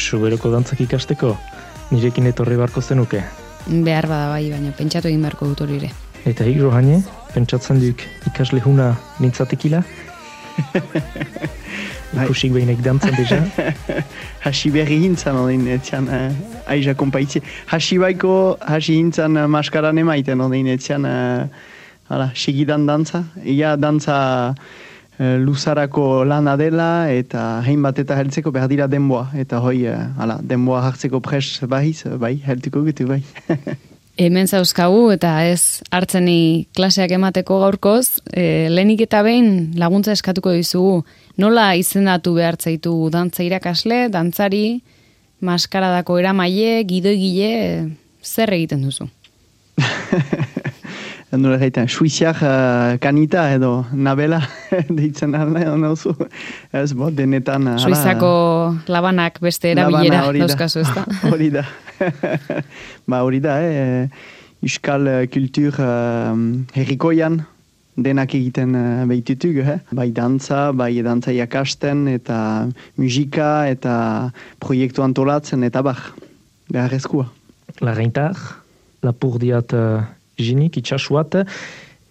Suberoko dantzak ikasteko, nirekin etorri barko zenuke. Behar bada bai, baina pentsatu egin beharko dut hori ere. Eta Rohane, pentsatzen duk ikasle huna nintzatekila? Ikusik behinek dantzan deja? Hasi berri hintzan odin, etxan aiza kompaitzi. Hasi hintzan maskaran emaiten odin, etxan segidan dantza. Ia dantza luzarako lana dela eta hainbat eta heltzeko behar dira denboa. Eta hoi, denboa hartzeko pres bai, heltuko gitu bai. Hemen zauzkagu eta ez hartzeni klaseak emateko gaurkoz, lehenik eta behin laguntza eskatuko dizugu. Nola izendatu behar zaitu dantza irakasle, dantzari, maskaradako eramaile, gidoigile, zer egiten duzu? Nola egiten, suiziak kanita edo nabela deitzen edo nauzu. Ez denetan... Suizako labanak beste erabilera dauzkazu, ez da? Hori da. Hori da, euskal kultur herrikoian denak egiten behitutuk, bai dantza jakasten eta musika eta proiektu antolatzen eta beharrezkoa. Larreintar, lapurdiat jinik, itxasuat,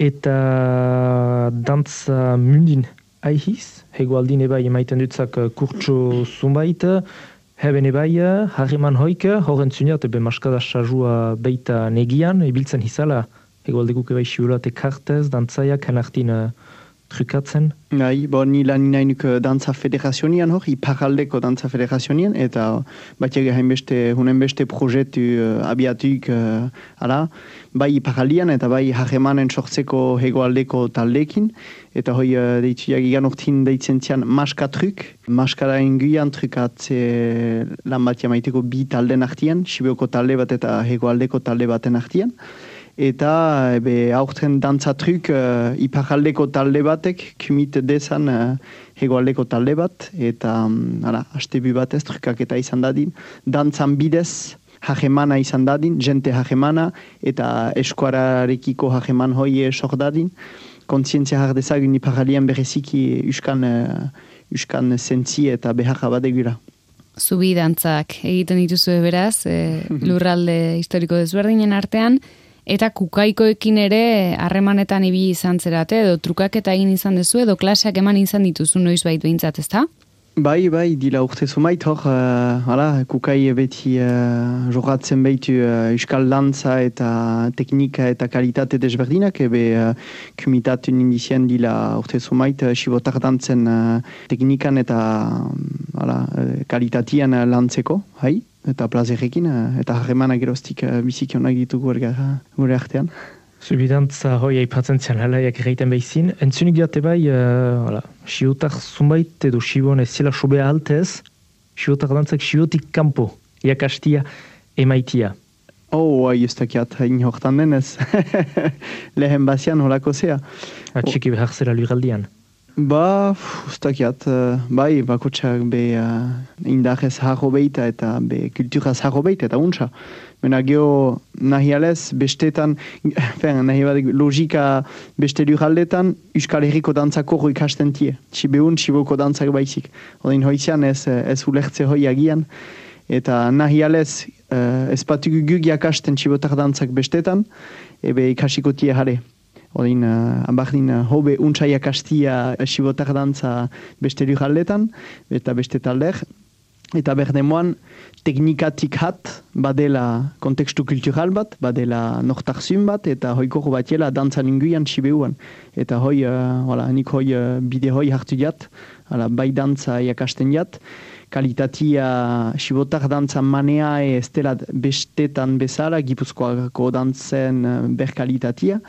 eta dantza mundin aihiz, hegoaldin ebai emaiten dutzak kurtso zumbait, heben ebai, harriman hoik, horren zuniat, ebe maskada sajua beita negian, ibiltzen hizala, hegoaldekuk ebai siurate kartez, dantzaiak, henartin trukatzen. Ni lan nainuk dantza federazionian hor, iparaldeko dantza federazionian, eta batiaga hunen beste projetu abiatuk, bai iparaldian eta bai harremanen sortzeko hegoaldeko taldekin, eta hoi deitzuak igan ortin deitzen zian maskatruk, maskara inguian trukatze lan bat jamaiteko bi talden artian, Sibioko talde bat eta hegoaldeko talde baten artian. Eta aurten dantzatruk iparaldeko talde batek kumit dezan hegoaldeko talde bat, eta astebu batez trukaketa izan dadin, dantzan bidez hajemana izan dadin, jente hajemana eta eskuararekiko hajeman hoi sor dadin, kontzientzia jardezagun iparaldian bereziki uskan zentzi eta beharra badegura. Zubi dantzak egiten dituzu beraz, lurralde historiko desberdinen artean, eta kukaikoekin ere harremanetan ibili izan zerate, edo trukaketa egin izan dezu, edo klaseak eman izan dituzu noizbait behintzat, ezta? Bai, dila urte zumait hor, kukai beti jogatzen behitu euskal dantza eta teknika eta kalitate desberdinak, kumitatun indizien dila urte zumait sibotar dantzen teknikan eta kalitatian lantzeko, eta plazerrekin, eta harremanak erostik biziki honak ditugu gure artean. Zubidantza hoi aipatzen zian halaiak egiten behizin. Entzunik diate bai, siotar zumbait edo siboan ez zela sobea altez, siotar dantzak siotik kanpo, iakastia emaitia. Ez dakiat, hain hortan denez. Lehen bazian holako zea. Atxiki behar zera luraldian. Ez dakiat, bakotxak indarrez harro beita eta kulturaz harro beita eta untsa. Mena geho nahi alez, bestetan, logika beste luraldetan, Euskal Herriko dantzako hoi ikasten tie. Siboko dantzak baizik. Odin hoizian ez ulertze hoi agian. Eta nahi alez, ez batugu gug jakasten sibotar dantzak bestetan, ikasiko tie jare. Odin, abardin, hobe untsa jakastia sibotar dantza beste luraldetan, eta beste talder. Eta berdemoan, teknikatik hat, badela kontekstu kultural bat, badela nortarzun bat, eta hoikoro batiela dantzan inguian sibeuan. Eta nik bide hoi hartu jat, bai dantza jakasten jat, kalitatia sibotar dantza manea ez dela bestetan bezala, Gipuzkoako dantzen berkalitatia,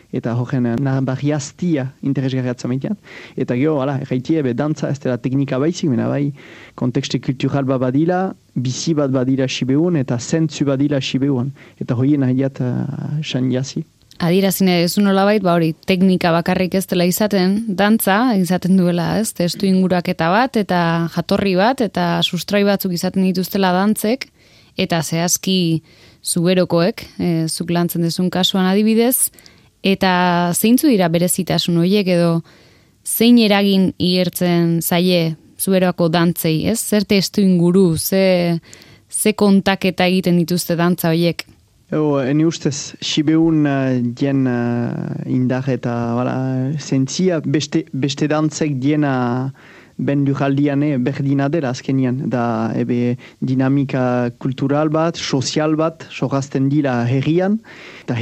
eta horren barriaztia interesgarriatzen maitean. Eta geho, erraitie, dantza ez dela teknika baizik, mena bai, kontekste kultural bat badila, bizi bat badila sibeun, eta zentzu badila sibeun. Eta hoien nahiat san jazi. Adirazine ez nolabait, hori teknika bakarrik ez dela izaten, dantza izaten duela, ez? Testu inguraketa bat, eta jatorri bat, eta sustrai batzuk izaten dituztela dantzek, eta zehazki zuberokoek, zuk lantzen dezun kasuan adibidez, eta zeintzu dira berezitasun horiek edo zein eragin igertzen zaie zuerako dantzei, ez? Zer testu inguru, ze kontaketa egiten dituzte dantza horiek? Ene ustez, Sibeun dien indar eta zentzia beste dantzek diena ben lujaldiane berdina dela azkenian. Da dinamika kultural bat, sozial bat, sorazten dila herrian, eta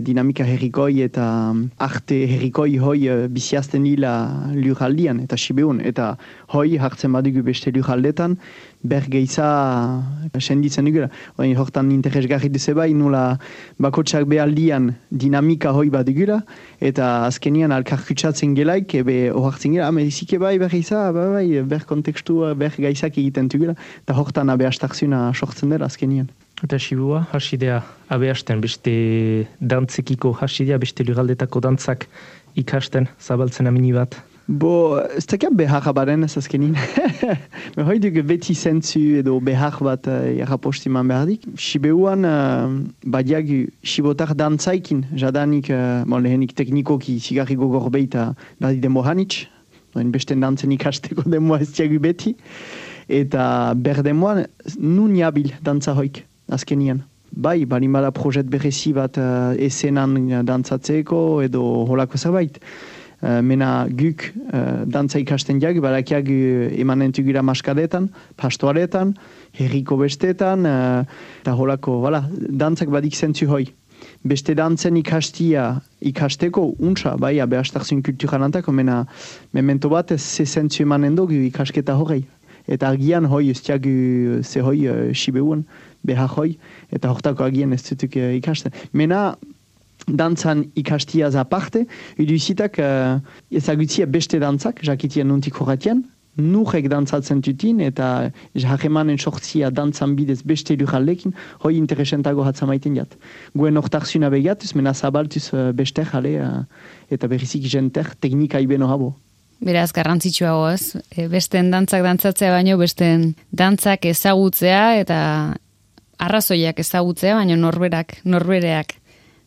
dinamika herrikoi eta arte herrikoi hoi biziazten dila lujaldian, eta Sibeun. Eta hoi hartzen badugu beste lujaldetan, bergeiza senditzen dugula. Hortan interesgarri duze bai, nula bakotsak behaldian dinamika hoi bat dugula, eta azkenian alkarkutsatzen gelaik, ohartzen gela, medizike bai bergeiza, bai, kontekstua, gaizak egiten dugula, eta hortan abeastarzuna sortzen dela azkenian. Eta Sibua, hasidea abeasten, beste dantzekiko hasidea, beste lugaldetako dantzak ikasten, zabaltzen amini bat. Ez dakian behar baren ez azkenin. Hoi dugu beti zentzu edo behar bat jarrapostiman behardik. Sibeuan badiagu sibotar dantzaikin, jadanik lehenik teknikoki zigarri gogor beita badi demohanitz, besten dantzen ikasteko demoa ez diagu beti. Eta berdemoan nun jabil dantza hoik azkenian. Bai, balimala projet berezi bat esenan dantzatzeko edo holako zerbait. Mena guk dantza ikasten jagu, barakiak emanen tugura maskadetan, pastoaretan, herriko bestetan, eta holako, dantzak badik zentzu hoi. Beste dantzen ikasteko untsa, bai, abeastarzun kulturan antako, mena memento bat ez ze zentzu emanen dugu ikasketa horrei. Eta agian hoi ez diagu ze hoi Sibeuan, behar hoi, eta hortako agian ez zutuk ikasten. Mena, dantzan ikastiaz aparte, iduzitak ezagutzia beste dantzak, jakitian nuntik horretian, nurek dantzatzen tutin, eta jarremanen sortzia dantzan bidez beste lujaldekin, hoi interesentago hatzamaiten jat. Guen hortarzuna begatuz, mena zabaltuz beste jale, eta berrizik jenter teknika ibeno habo. Beraz, garrantzitsua ez, besten dantzak dantzatzea baino, besten dantzak ezagutzea, eta arrazoiak ezagutzea, baino norbereak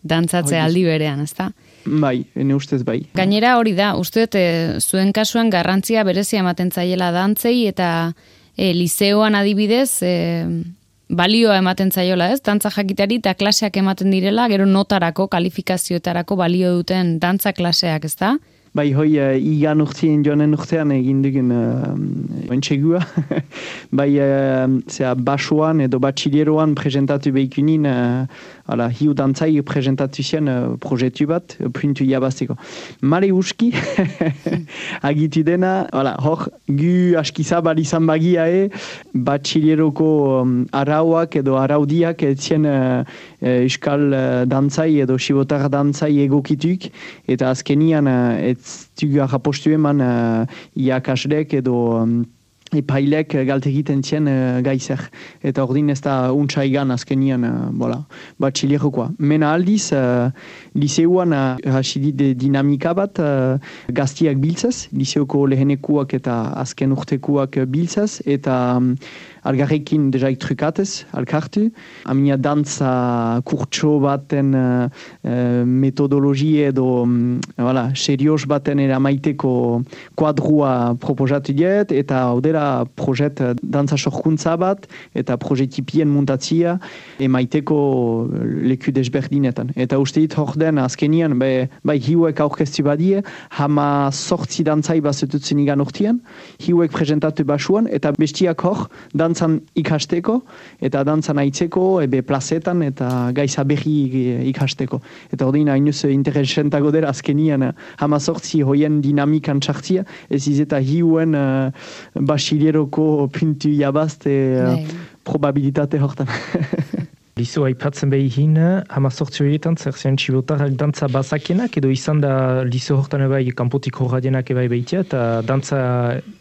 dantzatzea aldi berean, ezta? Bai, ene ustez bai. Gainera hori da, uste zuen kasuan garrantzia berezia ematen zaiela dantzei eta lizeoan adibidez balioa ematen zaiola, ez? Dantza jakitari eta klaseak ematen direla, gero notarako, kalifikazioetarako balio duten dantza klaseak, ezta? Bai, hoi, igan urtien joanen urtean egin dugun entxegua. Bai, basoan edo batxilieroan presentatu behikunin, hiu dantzai presentatu zen proiektu bat, puntu jabazteko. Mare uski, agitu dena, hor, gu askizabal izan bagia batxilieroko arauak edo araudiak etzien euskal dantzai edo sibotar dantzai egokituk, eta azkenian tugu arrapostu eman iakaslek edo epailek galte egiten txen gaizer. Eta ordin ez da untsa igan azkenian batxilierokoa. Mena aldiz, liseuan hasidit dinamika bat gaztiak biltzaz, liseoko lehenekuak eta azken urtekuak biltzaz, eta algarrekin dejaik trukatez, alkartu. Amina dantza kurtso baten metodologi edo serios baten eramaiteko kuadrua proposatu diet, eta haudera projet dantza sorkuntza bat, eta projetipien muntatzia emaiteko leku desberdinetan. Eta uste dit hor den azkenian, bai hiuek aurkeztu badie, hama sortzi dantzai bazetutzen igan urtean, hiuek presentatu basuan, eta bestiak hor dantzan ikasteko, eta dantzan aitzeko, plazetan, eta gaiza berri ikasteko. Eta ordin hainuz interesentago dela azkenian hama sortzi hoien dinamikan txartzia, ez izeta hiuen basilieroko puntu jabazte probabilitate hortan. Lizo aipatzen behin, hama sortzi horietan, zer zian txibotarrak dantza bazakenak, edo izan da lizo hortan ebai kanpotik horradienak ebai behitea, eta dantza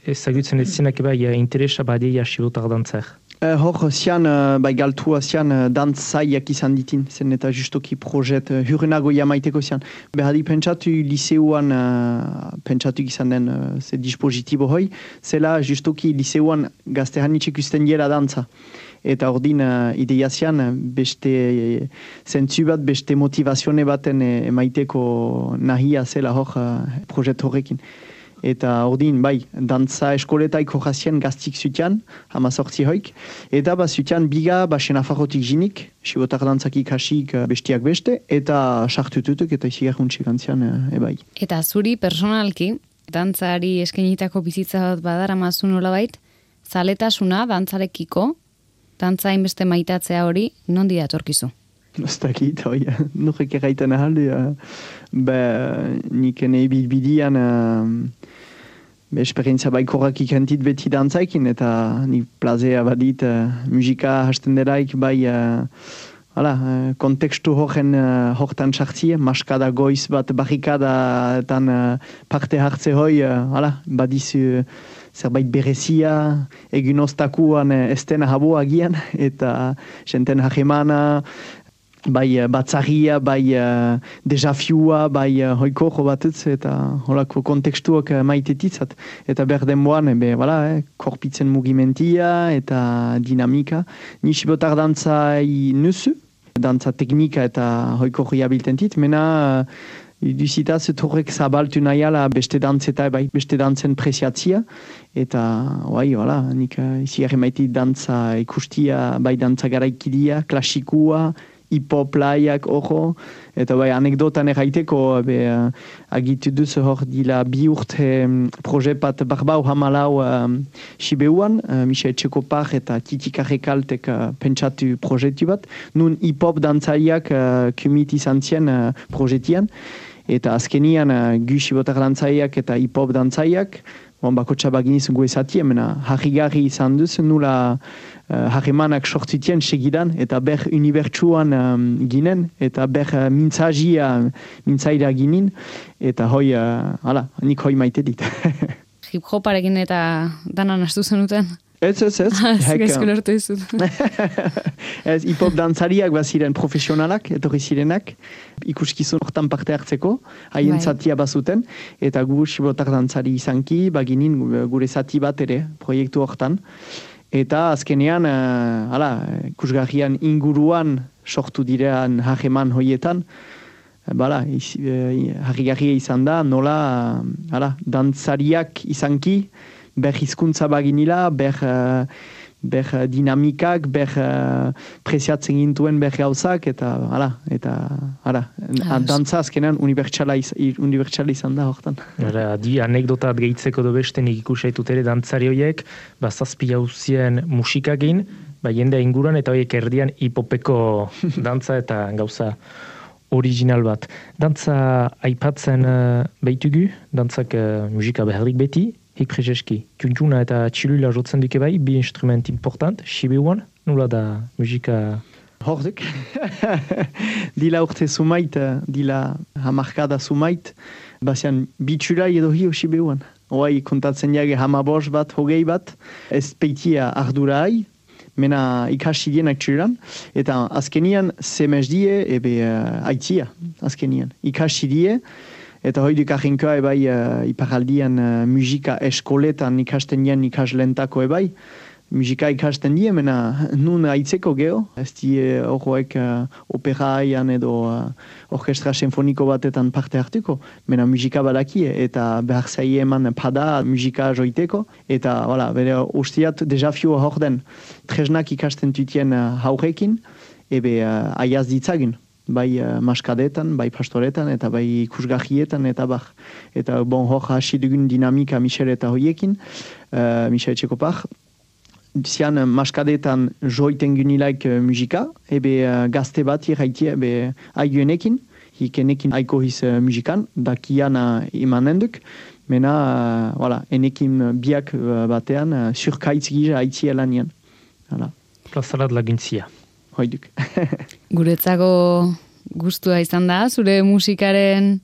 ezagutzen ez zinak ebai interesa badeia txibotar dantzer. Hor, zian, galtua zian dantzaiak izan ditin, zen eta justoki projet hurrenago jamaiteko zian. Behadi pentsatu liseuan, pentsatu izan den ze dispositibo hoi, zela justoki liseuan gaztehanitxek usten diela dantza. Eta ordin ideia zian beste zentzu bat, beste motivazione baten emaiteko nahia zela hor projet horrekin. Eta ordin, bai, dantza eskoletaik hojazien gaztik zutian, 18 hoik. Eta zutian biga, Senafarrotik jinik, sibotar dantzak ikasik bestiak beste, eta sartututuk eta izigarruntxik antzian, ebai. Eta zuri personalki, dantzari eskenitako bizitza bat badaramazun nolabait, zaletasuna dantzarekiko, dantza hainbeste maitatzea hori, nondi datorkizu? Ez dakit, hoi, nurek erraiten ahalde, nik nahi bidian esperientzia baikorrak ikentit beti dantzaikin, eta nik plazea badit musika hasten delaik, kontekstu hortan sartzie, maskada goiz bat barrikadatan parte hartze hoi, badizu zerbait berezia, egun oztakuan estena habo agian, eta jenten hajemana, bai batzarria, bai desafiua, bai hoiko batutz, eta holako kontekstuak maitetitzat. Eta berdenboan, korpitzen mugimentia eta dinamika. Nisibotar dantzai nusu, dantza teknika eta hoiko riabiltentit, mena duzitaz torrek zabaltu nahiala beste dantzeta, bai beste dantzen preziatzia, eta nik izi maiti dantza ikustia, bai dantza garaikidia, klasikua, hip-hop laiak ojo, eta bai anekdotan erraiteko agitu duz hor dila bi urte proje bat barbau hamalau Sibeuan, Michel Txekopar eta Titika Rekaltek pentsatu projetu bat, nun hip-hop dantzaiak kumit izan zien projetian, eta azkenian gu sibotar dantzaiak eta hip-hop dantzaiak, bakotxa baginiz guezatia, mena harrigarri izan duz, nula harremanak sortzitien segidan, eta ber unibertsuan ginen, eta ber mintzaira ginen, eta hoi, nik hoi maite dit. Hip-hoparekin eta danan astu zenuten? Ez. Gaizko lortu izut. Ez, hip-hop dantzariak baziren profesionalak, etorri zirenak, ikuskizun hortan parte hartzeko, haien zatia bazuten, eta gu sibotar dantzari izanki, baginin gure zati bat ere, proiektu hortan. Eta azkenean, ikusgarrian inguruan sortu direan hageman hoietan, harrigarria izan da, nola dantzariak izanki, ber hizkuntza baginila, ber dinamikak, ber preziatzen gintuen ber gauzak, eta dantza azkenean unibertsala izan da hortan. Di anekdotat gehitzeko do beste nik ikusaitut ere dantzari horiek, zazpi jauzien musikagin, jendea inguruan eta horiek erdian hipopeko dantza eta gauza original bat. Dantza aipatzen behitugu, dantzak musika beharrik beti, hik prezeski, kuntuna eta txilula jotzen duke bai, bi instrument important, Sibeuan, nula da musika... Horduk. Dila urte sumait, dila hamarkada sumait, bazian bitxura edo hio Sibeuan. Hoai kontatzen jage hamabos bat, hogei bat, ez peitia ardurai, mena ikasidienak txuran, eta azkenian semezdie ebe aitzia, azkenian. Ikasidie, eta hoiduk ahinkoa ebai iparaldian musika eskoletan ikasten dien ikaslentako ebai. Musika ikasten die, mena nun aitzeko geho. Ez die horroek operaian edo orkestra sinfoniko batetan parte hartuko. Mena musika badakie eta behar zaie eman pada musika joiteko. Eta bere ustiat desafioa hor den. Tresnak ikasten tutien haurekin, ebe aiaz ditzagin. Bai maskadetan, bai pastoretan, eta bai ikusgahietan, eta bar. Eta hor hasi dugun dinamika Michel eta hoiekin, Michel Txekopar. Zian maskadetan joiten gunilaik musika, ebe gazte bat irraitia, ebe aiguenekin, hikenekin aiko hiz musikan, dakian imanenduk, mena, enekin biak batean, surkaitz gisa aitzia lanian. Plazarat laguntzia. Hoiduk. Guretzako gustua izan da, zure musikaren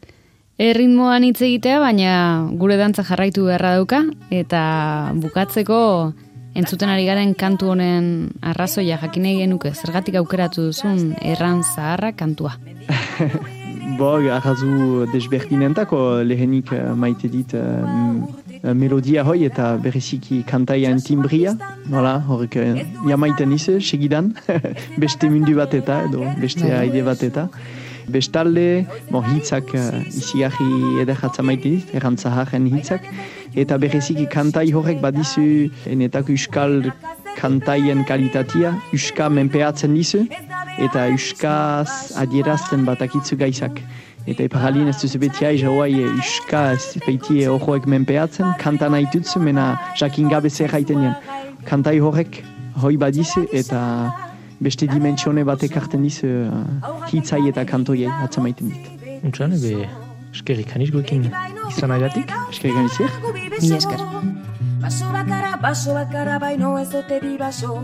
erritmoan hitz egitea, baina gure dantza jarraitu beharra dauka, eta bukatzeko entzuten ari garen kantu honen arrazoia jakinei genuke, zergatik aukeratu duzun erran zaharra kantua. Arrazu desberdinentako lehenik maite dit melodia hoi eta bereziki kantaian timbria. Horrek jamaiten ize, segidan, beste mundu bat eta, edo beste aide bat eta. Bestalde, hitzak izigarri ederratza maite dit, errantzaharen hitzak, eta bereziki kantai horrek badizu enetako euskal kantaien kalitatea, euska menpeatzen dizu, eta euskaz adierazten batakitzu gaizak. Eta iparalien ez duzu beti aiz hauai euska ez beti horroek menpeatzen, kanta nahi dutzu, mena jakin gabe zer haiten jen. Kantai horrek hoi badizu eta beste dimentsione batek hartzen dizu hitzai eta kantoiei atzamaiten dit. Untxan, eskerrik haniz goekin izan aidatik? Eskerrik haniziek? Mila esker. Baso bakara baino ez ote bi baso.